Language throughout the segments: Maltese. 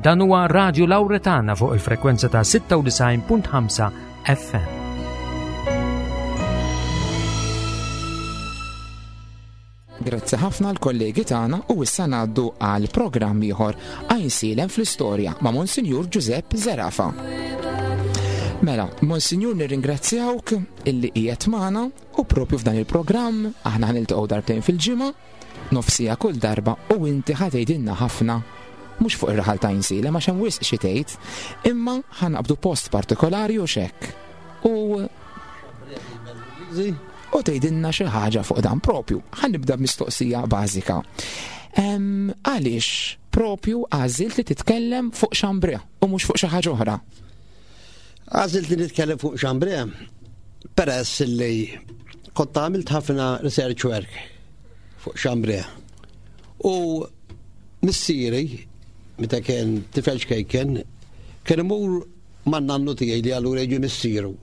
Dan huwa Radio Lauretana fuq il-frekwenza ta' 96.5 FM. Grazzi ħafna l-kollegi tagħna u issa ngħaddu għal programm ieħor Għajnsielem fl-istorja ma' Monsinjur Giuseppe Zerafa. Mela, Monsinjur nirringrazzjawk illi qiegħed magħna u propju f'dan il-programm aħna ħaniltaqgħu darbtejn fil-ġimgħa, nofsija kull darba u inti ħatejdilna ħafna mhux fuq ir-raħal ta' Għajnsielem għax hemm wisq xi tgħid, imma ħanqabdu post partikolari u xekk. U u tgħidilna xi ħaġa fuq dan propju. Ħa nibda b'mistoqsija bażika. Għaliex propju għażilt li titkellem fuq Xambre u mhux fuq xi ħaġa oħra? Għażilt li nitkellem fuq Xambre peress li kont għamilt ħafna research work fuq Xambre. U missieri, meta kien tifel xkejken, kien imur man-nannu tiegħi li allura jiġi missieru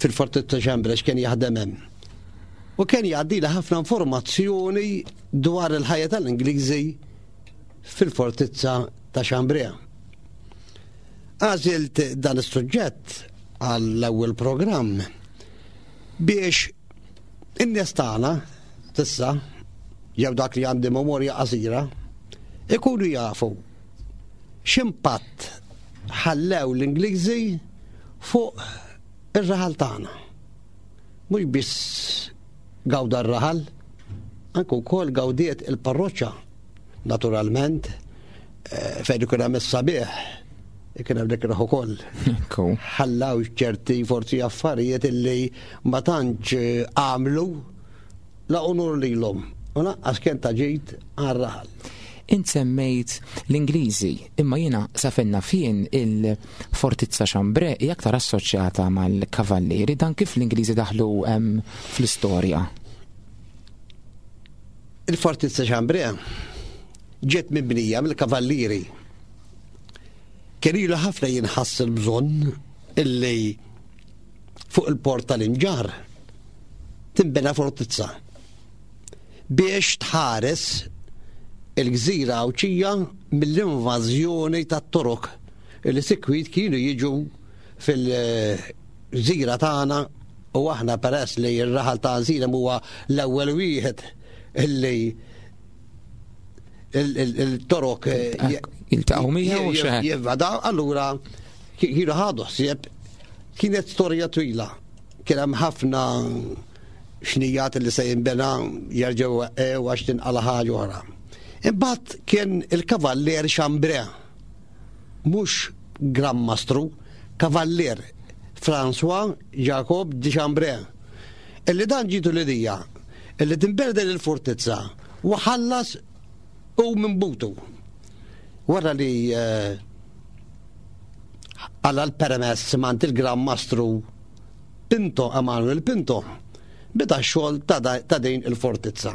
fil-Fortizza Xambra x'kien jaħdem hemm. U kien jgħaddili ħafna informazzjoni dwar il-ħajja tal-Ingliżi fil-Fortizza ta' Xambrea. Għażilt dan is-suġġett għall-ewwel programm biex in-nies tagħna tissa jew dak li għandi memorja qasira ikunu jafu X'impatt ħallew l-Ingliżi fuq ir-raħal tagħna? Mhux biss gawda r-raħal, anke wkoll gawdiet il-parroċċa. Naturalment, eh, fejn ikun hemm is-sabiħ, ikun hemm dik ukoll. Ħallaw ċerti forsi affarijiet illi ma tantx eh, għamlu La unur lilhom u lanqas kien ta' ġid għar-raħal. Int semmejt l-Ingliżi, imma jiena sa fejn naf jien il-Fortizza Chambray hija aktar assoċjata mal-Kavallieri, dan kif l-Ingliżi daħlu fl-istorja? Il-Fortizza Chambray ġiet mibnija mill-Kavallieri. Kien ilu ħafna jinħass il-bżonn illi fuq il-port tal-Imġarr tinbena fortizza biex tħares il-gżira Għawdxija mill-invażjoni tat-Torok li sikwit kienu jiġu fil-gżira tagħna u aħna peress li r-raħal ta' Għażilem huwa l-ewwel wieħed illi il-Torok eh, jiltaqgħu miegħu jivvadaw, allura kienu ħadu ħsieb Kienet storja twila. Kien hemm ħafna xnijat li se jinbena jerġgħu weqqew għax tinqala ħaġa oħra. Imbagħad kien il-Kavallier Chambray, mhux Gran Mastru, Kavallier François Jacob de Chambray, illi dan ġietu l-idea illi tinbena din il-fortizza u ħallas u minn butu. Wara li eh, Għala l-permess m'għand il-Gran Mastru Pinto Emanuel Pinto beda x-xogħol ta' din il-fortizza.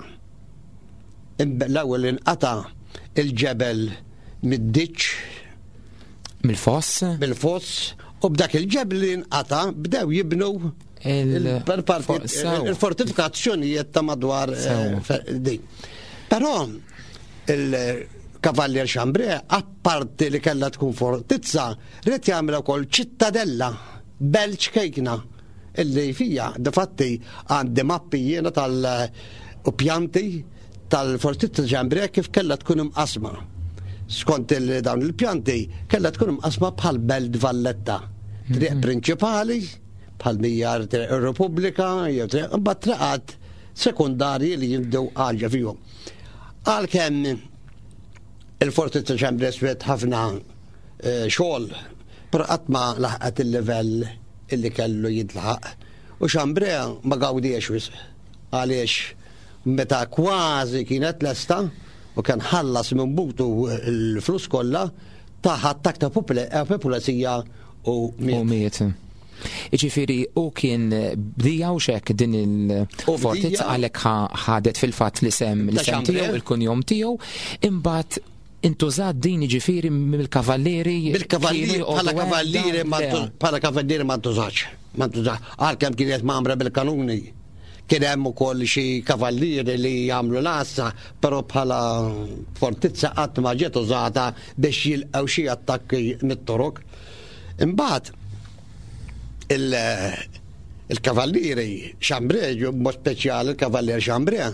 L-ewwel inqata' il-ġebel mid-diċ Mill-foss? Mill-foss u b'dak il-ġebel li nqata' bdew jibnu il-fortifikazzjonijiet ta' madwar eh, din. Però il-Kavallier Chambray Parti li kellha tkun fortizza, ried jagħmilha wkoll ċittadella, belt ċkejkna, illi fija, difatti għandi mappi jiena tal u pjanti tal-fortizza Ġambre kif kellha tkun imqasma. Skont il dawn il-pjanti kellha tkun imqasma bħal belt Valletta. Triq mhm. prinċipali, bħal mija triq ir-Repubblika, jew triq imbagħad triqat sekundarji li jibdew għalġa fihom. Għalkemm Il-Forti ta' Ċambri swiet ħafna eh, xogħol, però qatt ma laħqet il-livell illi kellu jintlaħaq. U Xambrea ma gawdiex wisq għaliex meta kważi kienet lesta u kien ħallas minn butu l-flus kollha taħ attak ta' populazija u miet. Iġifiri, u kien bdija u xek din il-fortizza għalek ħadet fil-fat li sem li sem tiegħu, il-kunjom tiegħu, imbagħad intużat din iġifiri mill-kavallieri. Bil-kavallieri, bħala kavallieri, bħala kavallieri ma ntużax. Ma ntużax. Għalkemm kienet mamra bil-kanuni. Kien hemm ukoll xi kavallieri li jagħmlu l-għassa, però bħala fortizza qatt ma ġiet użata biex jilqgħu xi attakki mit-Torok. Imbagħad il-kavallieri Chambray, b'mod speċjali il-kavallier Chambray,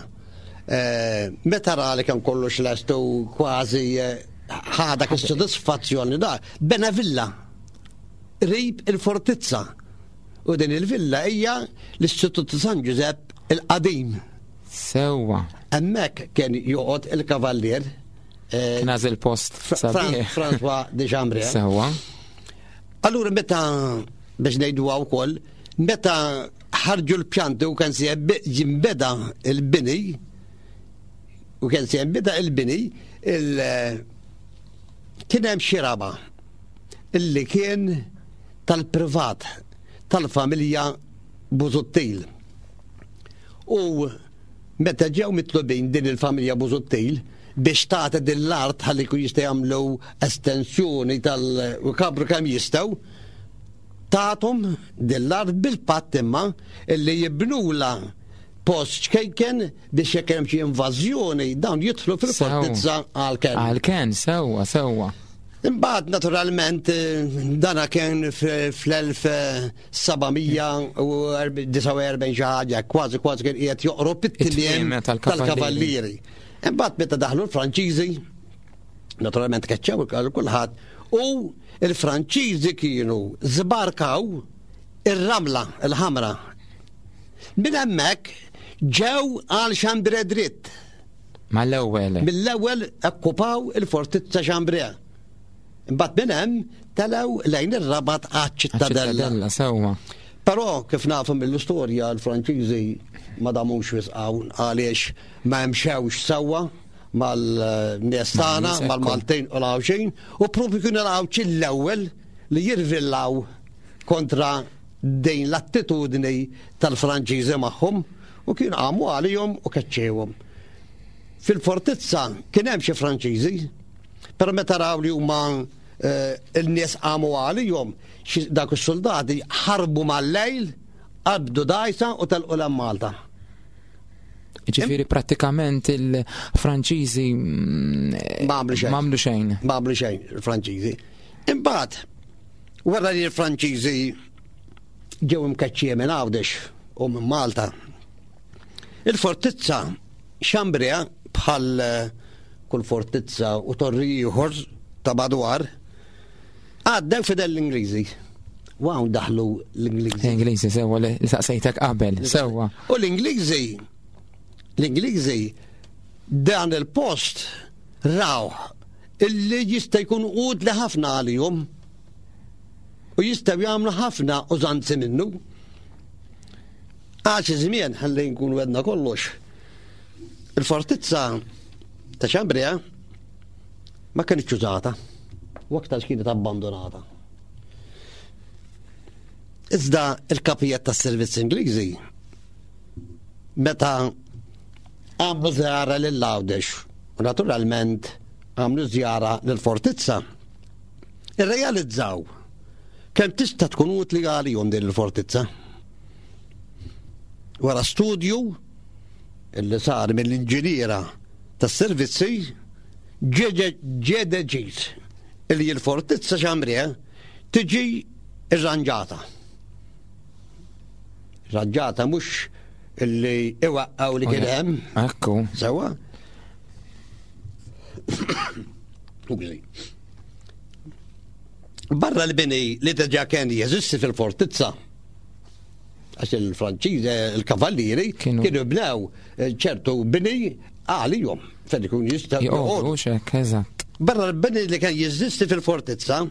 eh, meta ra li kemm kollox lest u kważi eh, ħa dak is-sodisfazzjon li da, bena villa qrib il-fortizza. U din il-villa hija l-Istitut ta' San Ġużepp il-qadim. Sewwa. Hemmhekk kien joqgħod il-kavallier. Eh, kien għażel post sabiħ. François de Chambray. Sewwa. Allura meta biex ngħiduha wkoll, meta ħarġu l-pjanti u kien se jinbeda il-bini, u kien se jinbeda il-bini, il kien hemm xi raba illi kien tal-privat tal-familja Busuttil. U meta ġew mitlubin din il-familja Busuttil biex tagħti din l-art ħalli jkun jista' jagħmlu estensjoni tal-kabru kemm jistgħu, tathom din l-art bil-patt imma illi jibnula post ċkejken biex jekk hemm xi invażjoni dawn jidħlu fil-fortizza għal-ken. Għal-ken, sewwa, sewwa. Imbagħad naturalment dana kien fl-1749 xi ħaġa, kważi kważi kien qiegħed joqrob it-tmiem tal-kavallieri. Imbagħad meta daħlu l-Franċiżi, naturalment keċċew kulħadd, u l-Franċiżi kienu żbarkaw ir-ramla, il-ħamra. Minn hemmhekk ġew għal Xambre dritt. Mal-ewwel. Mill-ewwel akkupaw il-fortizza Chambray. Imbagħad minn hemm telgħu lejn ir-Rabat għaċ-Ċittadella. Sewwa. Però kif nafu mill-istorja l-Franċiżi ma damux wisq hawn għaliex ma mxewx sewwa mal-nies tagħna, mal-Maltin u l-Għawxin, u propju kienu l-Għawxin l-ewwel li jirvillaw kontra din l-attitudni tal-Franċiżi magħhom u kien qamu għalihom u keċċewhom. Fil-fortizza kien hemm xi Franċiżi, però meta raw li huma eh, il-nies qamu għalihom, dak is-soldati ħarbu mal-lejl, qabdu dajsa u telqu l Malta. Ġifieri prattikament il-Franċiżi mm, ma għamlu xejn. Ma għamlu xejn. Ma għamlu xejn il-Franċiżi. Imbagħad wara li l-Franċiżi ġew imkeċċija minn Għawdex u minn Malta. Il-fortizza Xambrea bħal eh, kull fortizza u torri ieħor ta' madwar għaddew fidel l-Ingliżi. Waw daħlu l-Ingliżi. L-Ingliżi sewwa li saqsejtek qabel, sewwa. U l-Ingliżi, l-Ingliżi dan il-post raw illi jista' jkun utli ħafna għalihom. U jistgħu jagħmlu ħafna użanzi minnu. Għal xi żmien ħalli nkunu għedna kollox. Il-fortizza ta' Xambria ma kienx użata u aktar kienet abbandonata. Iżda il-kapijiet tas-servizz Ingliżi meta għamlu żjara lil Għawdex u naturalment għamlu żjara lill-fortizza irrealizzaw kemm tista' tkun utli għalihom din il-fortizza. Wara studju illi sar mill-inġiniera tas-servizzi ġie deċiż illi l-fortizza Xamrie tiġi irranġata. Irranġata mhux illi iwaqqgħu li kien hemm. Ekku. Sewa. Skużi. Barra l-bini li diġà kien jeżisti fil-fortizza, għax il-Franċiż, eh, il-kavallieri, kienu bnew eh, ċertu bini għalihom fejn ikun jistgħu joqogħdu. Eżatt. Barra l-bini li kien jeżisti fil-fortizza,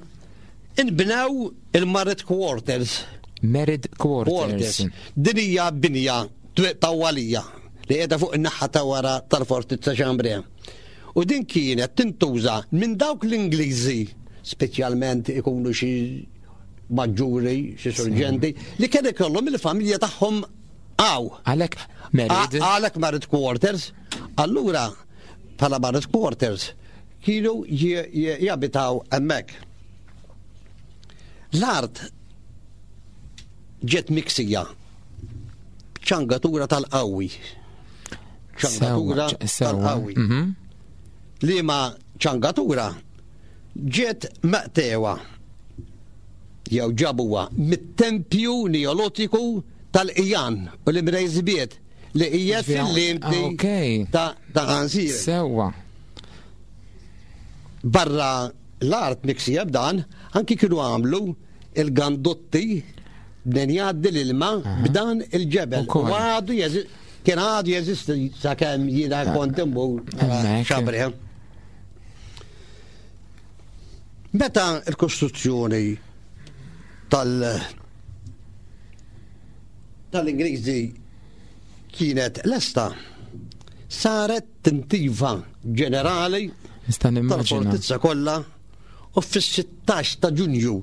inbnew il-Married Quarters. Married Quarters. Din hija binja tawwalija li qiegħda fuq in-naħa ta' wara tal-fortizza Chambray. U din kienet tintuża minn dawk l-Ingliżi, speċjalment ikunu xi maġġuri, xi surġenti, li kien ikollhom il-familja tagħhom għaw. Għalhekk married. Għalhekk married quarters. Allura, bħala married quarters, kienu jabitaw hemmhekk. L-art ġiet miksija. ċangatura tal-qawwi. Ċangatura tal-qawwi. Mhm. Liema ċangatura ġiet meqtewa jew ġabuha mit-tempju neolotiku tal-Ijan u l-Imrejżbiet li hija fil-limti ah, ta' ta' Għansir. Sewwa. Barra l-art miksija b'dan, anki kienu għamlu il-gandotti b'den jgħaddi l-ilma b'dan il-ġebel. U għadu kien għadu jeżisti sakemm jiena ah. kont immur xabri. Meta l-kostruzzjoni tal- tal-Ingliżi kienet lesta, saret tintiva ġenerali tal-fortizza kollha u fis-16 ta' Ġunju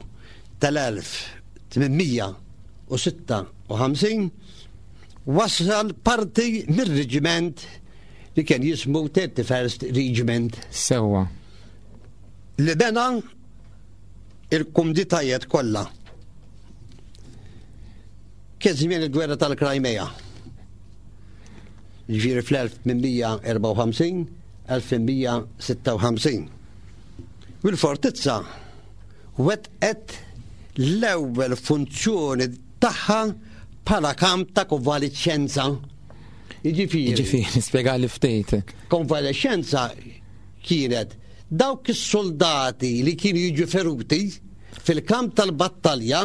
tal-1856 wasal parti mir-reġiment li kien jismu 31st Regiment. Sewwa. Li bena il-kumditajiet kollha. Kien żmien il-gwerra tal-Krajmea. Ġifieri fl-1854, 1856. U l-fortizza wettqet l-ewwel funzjoni tagħha bħala kamp ta' konvalixxenza. Jiġifieri. Jiġifieri, spjegali ftit. Konvalixxenza kienet dawk is-soldati li kienu jiġu feruti fil-kamp tal-battalja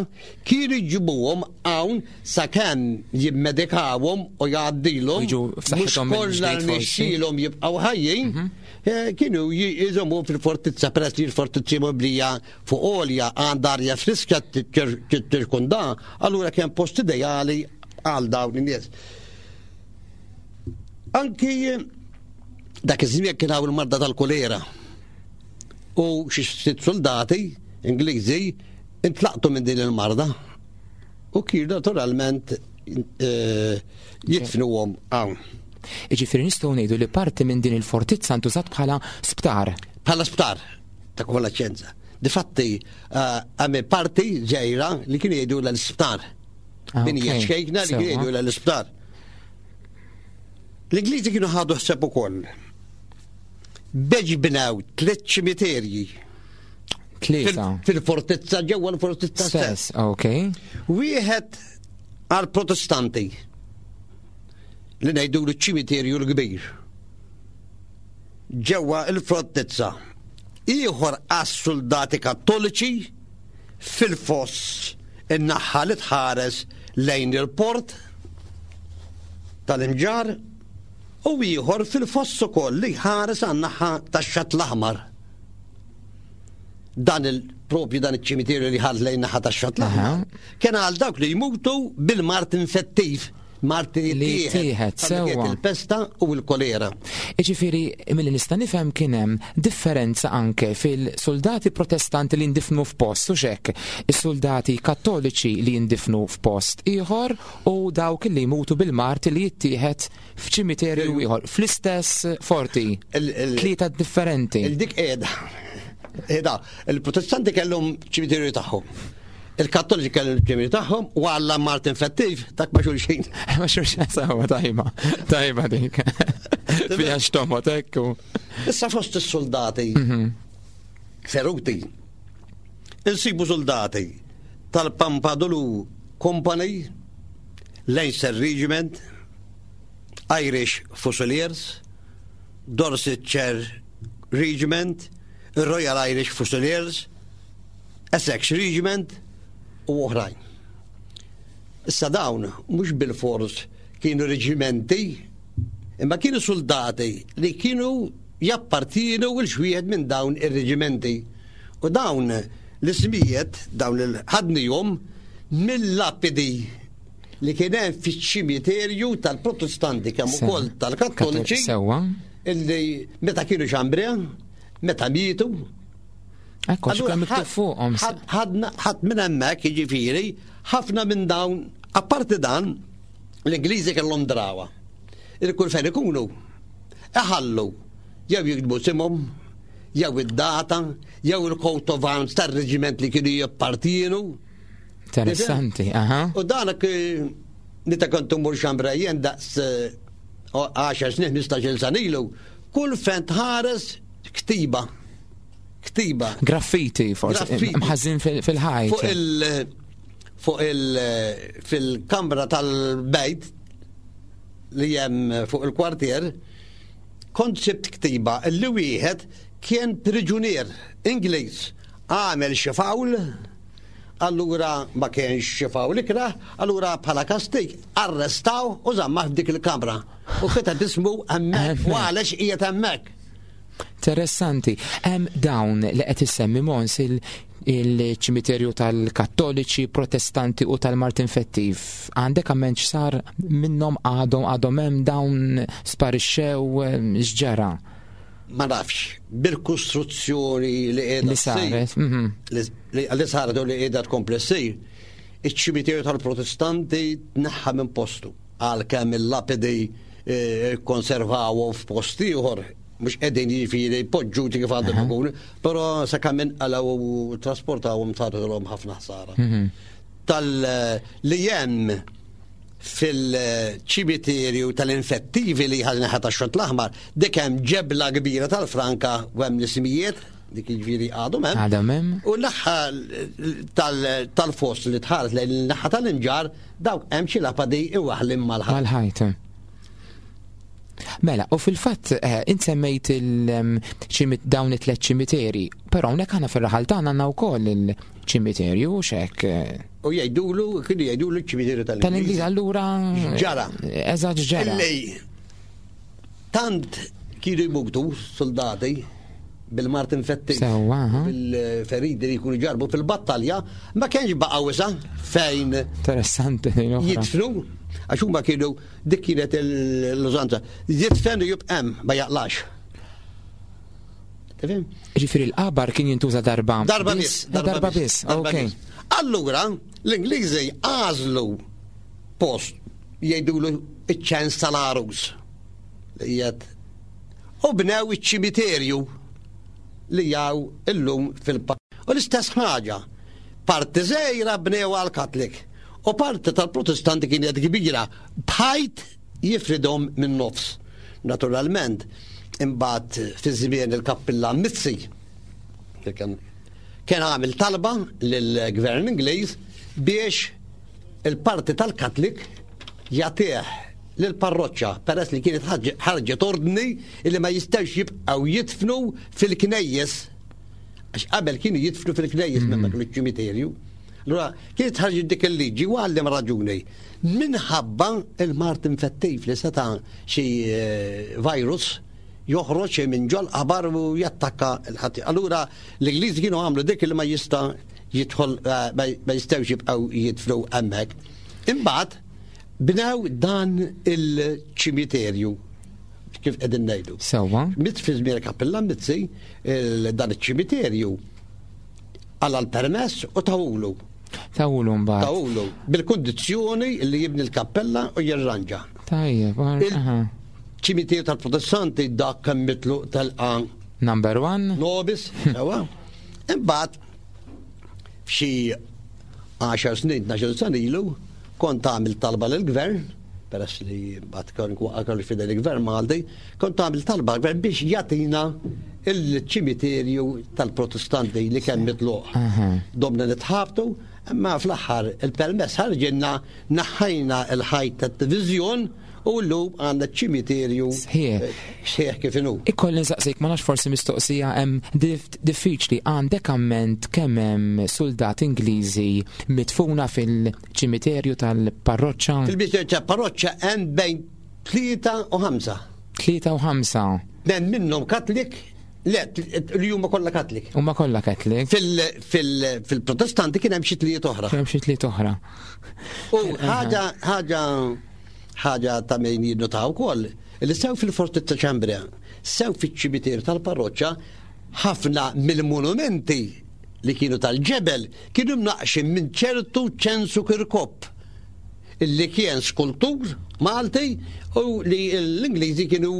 kienu jġibuhom hawn sakemm jimmedikawhom u jgħaddilhom mhux kollha rnexxielhom jibqgħu ħajjin, mhm. eh, kienu jżommu fil-fortizza peress li l-fortizza mibnija fuq għolja għandha arja friska tirkunda, allura kien post ideali għal dawn in-nies. Anki dak iż-żmien kien hawn il-marda tal-kolera. U xi ftit soldati Ingliżi intlaqtu minn din il-marda u kienu naturalment eh, jidfnuhom hawn. Iġifieri nistgħu ngħidu li parti minn din il-fortizza ntużat bħala sptar. Bħala sptar ta' konvalescenza. Difatti, eh, għamil parti ġejra li kienu jgħidu l-isptar. Ah, Min hija ċkejkna li kienu jgħidu l-isptar. L-Ingliżi kienu ħadu ħseb ukoll. Beġ bnew tliet ċimiterji. Tlieta. Fil-fortizza ġewwa l-fortizza stess. Ok. Wieħed għal protestanti li ngħidu l-ċimiterju l-kbir. Ġewwa l-fortizza. Ieħor għas-soldati kattoliċi fil-foss in-naħa li tħares lejn il-port tal-Imġarr u ieħor fil-foss ukoll li jħares għan-naħa tax-Xatt l-Aħmar. Dan il-propju dan iċ-ċimiterju li ħares lejn naħa tax-Xatt l-Aħmar kien għal dawk li jmutu bil-mard infettiv mart li jittieħed sewwa. Il-pesta u l-kolera. Iġifieri milli nista' nifhem kien hemm differenza anke fil-soldati protestanti li ndifnu f'post u xek, is-soldati kattoliċi li jindifnu f'post ieħor u dawk li jmutu bil-mart li jittieħed f'ċimiterju ieħor fl-istess forti. Tlieta differenti. Il-dik qiegħda. Qiegħda, il-protestanti kellhom ċimiterju tagħhom. Il-Kattoliċi kellu l-ġemil tagħhom u Alla Martin Fettiv dak ma xulxin. Ma xulxin sawa tajba, tajba dik. Fija xtomot ekku. Issa fost is-soldati mhm. feruti. Insibu soldati tal-Pampadulu Company, Leinster Regiment, Irish Fusiliers, Dorsetshire Regiment, Royal Irish Fusiliers, Essex Regiment u oħrajn. Issa dawn mhux bilfors kienu reġimenti, imma kienu soldati li kienu jappartienu il xwieħed minn dawn ir-reġimenti. U dawn l-ismijiet, dawn il-ħadnihom mill-lapidi li kien hemm fiċ-ċimiterju tal-Protestanti kemm ukoll tal-Kattoliċi. Sewwa. Illi meta kienu xambrea, meta mietu, Ekku, x'kemm miktub fuqhom. Ħadna ħadd minn hemmhekk, jiġifieri, ħafna minn dawn, apparti dan, l-Ingliżi kellhom drawa. Il-kull fejn ikunu, iħallu jew jiktbu simhom, jew id-data, jew il-coat of arms tar-reġiment li kienu jippartienu. Interessanti, aha. U danak eh, Nita kont immur xambra jien daqs 10 snin, 15 sena ilu, kull fejn tħares ktiba. Ktiba. Graffiti, forsi, mħazzin fil-ħajt. Fuq il- fuq il- fil-kamra tal-bejt li hemm fuq il-kwartier, kont sibt ktiba li wieħed kien priġunier Ingliż għamel xi fawl Allura ma kienx xi fawl ikrah, allura bħala kastig arrestaw u żammah f'dik il-kamra. U kiteb ismu hemmhekk u għalex qiegħed hemmhekk. Interessanti. Hemm dawn li qed issemmi Mons il-ċimiterju tal-Kattoliċi, Protestanti u tal-Martin Fettiv. Għandek amment x'sar minnhom għadhom għadhom hemm dawn sparixxew x'ġara? Ma nafx, bil-kostruzzjoni li qiegħda li saret, mhm. li saret u li qiegħda tkompli ssir, iċ-ċimiterju tal-Protestanti tneħħa minn postu għalkemm il-lapidi eh, konservawhom f'post ieħor mhux qegħdin jiġifieri poġġuti kif għandhom ikunu, però sakemm inqalgħu u trasportawhom sarilhom ħafna ħsara. Mhm. Tal li hemm fil-ċimiterju tal-infettivi li ħal naħa tax-Xott l-Aħmar, dik hemm ġebla kbira tal-franka u hemm l-ismijiet, dik jiġifieri għadhom hemm. Għadhom hemm. U naħa tal-fost li tħares lejn naħa tal-imġar, dawk hemm xi lapadi iwaħlim mal-ħajt. Mal-ħajt. Mela, u fil-fatt eh, int semmejt dawn it-tlet ċimiteri, però hawnhekk aħna fir-raħal tagħna għandna wkoll il-ċimiterju u xek. Eh. U jgħidulu, kienu jgħidulu ċ-ċimiterju tal-Ingliż. Tal-Ingliż allura. Ġara. Eżatt ġara. Illi tant kienu jmutu soldati bil-mart infettiv. Sewwa, bil-feridi li jkunu ġarbu fil-battalja, ma kienx baqa' wisa fejn. Interessanti. Jitfnu, għax huma kienu Dik kienet l-użanza. Jidfen u jibqa' hemm, ma jaqlax. Tifhem? Ġifieri l-qabar kien jintuża darba. Darba biss. Darba biss. Ok. Allura, l-Ingliżi għażlu post jgħidulu iċ-ċens tal-arus. Li qiegħed u bnew iċ-ċimiterju li jaw illum fil-pa. U l-istess ħaġa, parti żgħira bnew għal Katlik u parti tal-Protestanti kienet kbira b'ħajt jifridhom min-nofs. Naturalment, imbagħad fi żmien il-Kappillan Mizzi, kien kien għamel talba lill-Gvern Ingliż biex il-parti tal-Katlik jagħtih lill-parroċċa peress li kienet ħarġet ordni li ma jistgħux jibqgħu jidfnu fil-knejjes għax qabel kienu jidfnu fil-knejjes mm. minn dak il-ċimiterju. Allura, kienet ħarġet dik il-liġi u għallem raġuni. Minħabba il-mart infettiv li seta' xi eh, virus joħroġ minn ġol qabar u jattakka l-ħati. Allura l-Ingliżi kienu għamlu dik li ma jista' jidħol eh, ma jistgħux jibqgħu jidflu hemmhekk. Imbagħad bnew dan il-ċimiterju kif qegħdin ngħidu. Sewwa. Mit fi żmien kappilla Mizzi dan iċ-ċimiterju Għala l-permess u tawulu. Tawulu mbagħad. Tawulu bil-kundizzjoni li jibni l-kappella u jirranġa. Tajjeb, ċimiterju tal-Protestanti dak kemm mitlu telqa. Number one. Nobis, sewa. Imbagħad f'xi 10 snin, 12 sena ilu, kont għamil talba lill-gvern peress li mbagħad kien waqa' kollox f'idejn il-Gvern Malti, kont għamilt talba għall-Gvern biex jagħtina il-ċimiterju tal-Protestanti li kien mitluq. Domna nitħabtu, imma fl-aħħar il-permess ħarġilna naħħajna l-ħajt tat-diviżjon u llum għandna ċimiterju sħiħ sħiħ kif inhu. Ikolli nsaqsik ma nafx forsi mistoqsija hemm diffiċli għandek amment kemm hemm suldat Ingliżi mitfuna fil Ċimiterju tal-parroċċa. Fil-ċimiterju tal-parroċċa hemm bejn 3 u 5. 3 u 5. Hemm minnhom Katlik, le, li huma kollha Katlik. Huma kollha Katlik. Fil-Protestanti kien hemm xi tliet oħra. Kien hemm xi tliet oħra. U ħaġa ħaġa ħaġa ta' min jinnotaw ukoll, li sew fil-Fortizza Ċambria, sew fiċ-ċimiterju tal-parroċċa, ħafna mill-monumenti li kienu tal-ġebel kienu mnaqqxin minn ċertu Ċensu Kirkop, illi kien skultur Malti u li l-Ingliżi kienu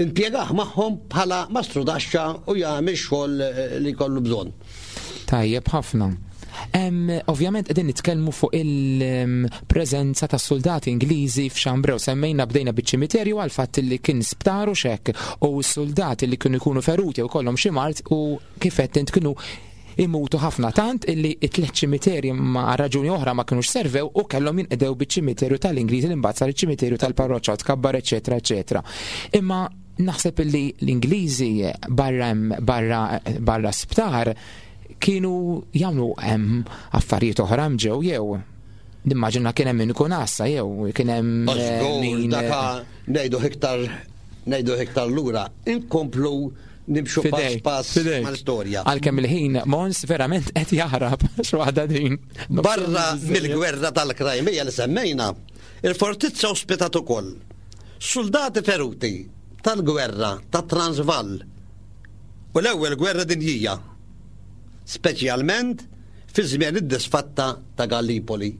impjegah magħhom bħala mastrudaxxa u jagħmel xogħol li jkollu bżonn. Tajjeb ħafna. Ovvjament qegħdin nitkellmu fuq il-preżenza ta' soldati Ingliżi f'Xambrew. Semmejna bdejna biċ-ċimiterju għal fatt li kien sptar u xek u s-soldati li kienu jkunu feruti u kollhom xi mart u kif qed int kienu imutu ħafna tant illi it-tliet ċimiterji ma raġuni oħra ma kinux servew u kellhom jinqdew biċ-ċimiterju tal-Ingliżi li mbagħad sar iċ-ċimiterju tal-parroċċa u tkabbar eċetera eċetera. Imma naħseb illi l-Ingliżi barra barra barra sptar kienu jagħmlu hemm affarijiet oħra ġew jew nimmaġina kien hemm min ikun għassa jew kien hemm eh, min daka ngħidu iktar ngħidu iktar lura inkomplu nimxu pass pass mal-istorja. Għalkemm il-ħin Mons verament qed jaħrab x'waħda din. Barra mill-gwerra tal-Krajmija li semmejna, il-fortizza ospitat ukoll soldati feruti tal-gwerra ta' Transvaal u l-ewwel gwerra dinjija, speċjalment fi żmien id-disfatta ta' Gallipoli.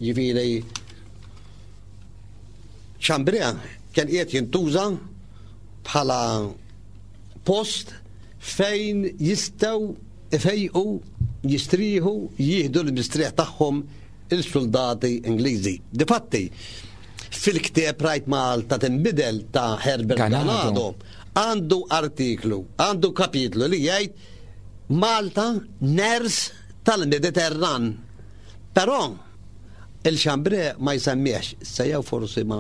Ġifieri Chambrea kien qiegħed jintuża bħala post fejn jistgħu ifejqu, jistrieħu, jieħdu l-mistrieħ tagħhom il-suldati Ingliżi. Difatti, fil-ktieb Rajt Malta tinbidel ta' Herbert Ganado, għandu artiklu, għandu kapitlu li jgħid Malta ners tal-Mediterran. Però il-Xambre ma jsemmiex, se jew forsi ma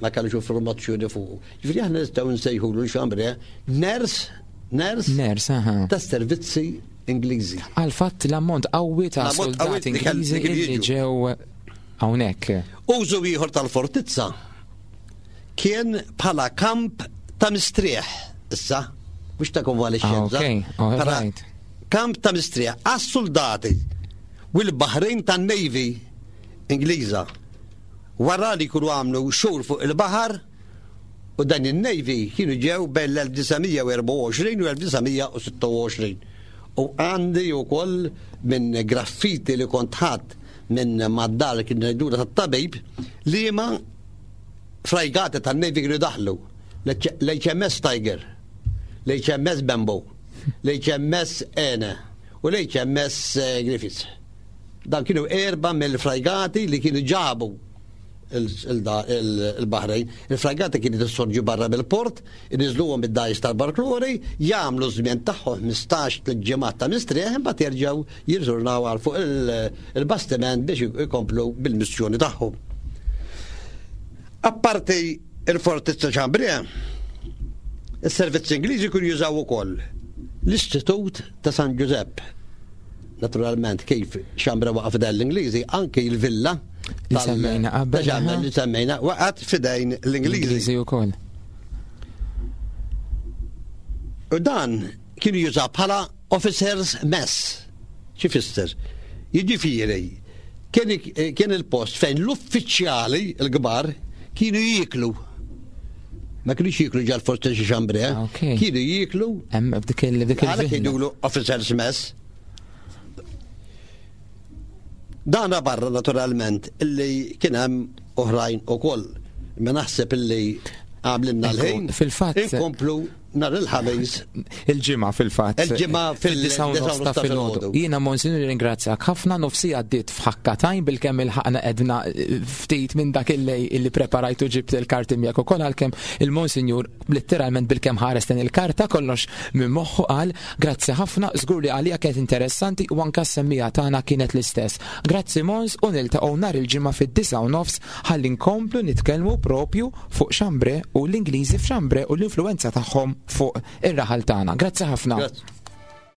ma kellux informazzjoni fuq. Ġifieri aħna nistgħu nsejħulu l-Xambre ners ners ners tas-servizzi Ingliżi. Għal fatt l-ammont qawwi ta' soldati Ingliżi li ġew hawnhekk. Użu ieħor tal-fortizza kien bħala kamp ta' mistrieħ issa, mhux ta' konvalexxenza. Ah, kamp ta' mistrieħ għas-soldati u l-baħrin tan-Navy Ingliża. Wara li jkunu għamlu xhur fuq il-baħar u dan in-Navy kienu ġew bejn l-1924 u 1926. U għandi wkoll minn graffiti li kont ħadd minn mad-dar kien ngħidulha tat-tabib liema frajgati tan-Navy kienu daħlu l-HMS Tiger, l-HMS Bambo, l-HMS Ene u l-HMS eh, Griffiths. Dan kienu erba mill-frajgati li kienu ġabu il-Bahrejn. Il-fragati kienet issorġu barra mill-port, iniżluhom id-dajs tal-barklori, jagħmlu żmien tagħhom 15 tliet ġimgħat ta' mistrieħ imbagħad jerġgħu jirżurnaw għal fuq il-bastiment biex ikomplu bil-missjoni tagħhom. Apparti il-Fortizza Chambria, is-servizzi Ingliżi kienu jużaw ukoll l-Istitut ta' San Ġużepp. Naturalment kif Chambra waqa' f'idejn l-Ingliżi, anki l-villa li semmejna qabel. Li semmejna waqgħet f'idejn l-Ingliżi. Ingliżi wkoll. U dan kienu jużaw bħala officers mess. Xi fisser? Jiġifieri kien il-post fejn l-uffiċjali l-kbar kienu jieklu. Ma kienux jieklu ġal forsi xi xambre, eh? Ah, kienu jieklu. Hemm f'dik il dik il Għalhekk jgħidulu officers mess. Dana barra naturalment illi kien hemm oħrajn ukoll. Ma naħseb illi għamlinna l-ħin. Fil-fatt. Inkomplu Nhar il-Ħamis. Il-ġimgħa fil-fatt. Il-ġimgħa fil-9 ta' filgħodu. Jiena Monsignor ringrazzjak ħafna nofsi għaddiet f'ħakkatajn bilkemm il-ħaqna edna eh, ftit minn dak il-lej illi preparajtu ġibt il-karti miegħek ukoll għalkemm il-Monsignor letteralment bilkemm ħares lejn il-karta kollox minn moħħu qal grazzi ħafna żgur li għalija kienet interessanti u anke s-semmija tagħna kienet l-istess. Grazzi Mons u niltaqgħu nhar il-ġimgħa fid-9 u nofs ħalli nkomplu nitkellmu propju fuq Chambre u l-Ingliżi f'Chambre u l-influwenza tagħhom fuq ir-raħal tagħna. Grazzi ħafna. Grazzi.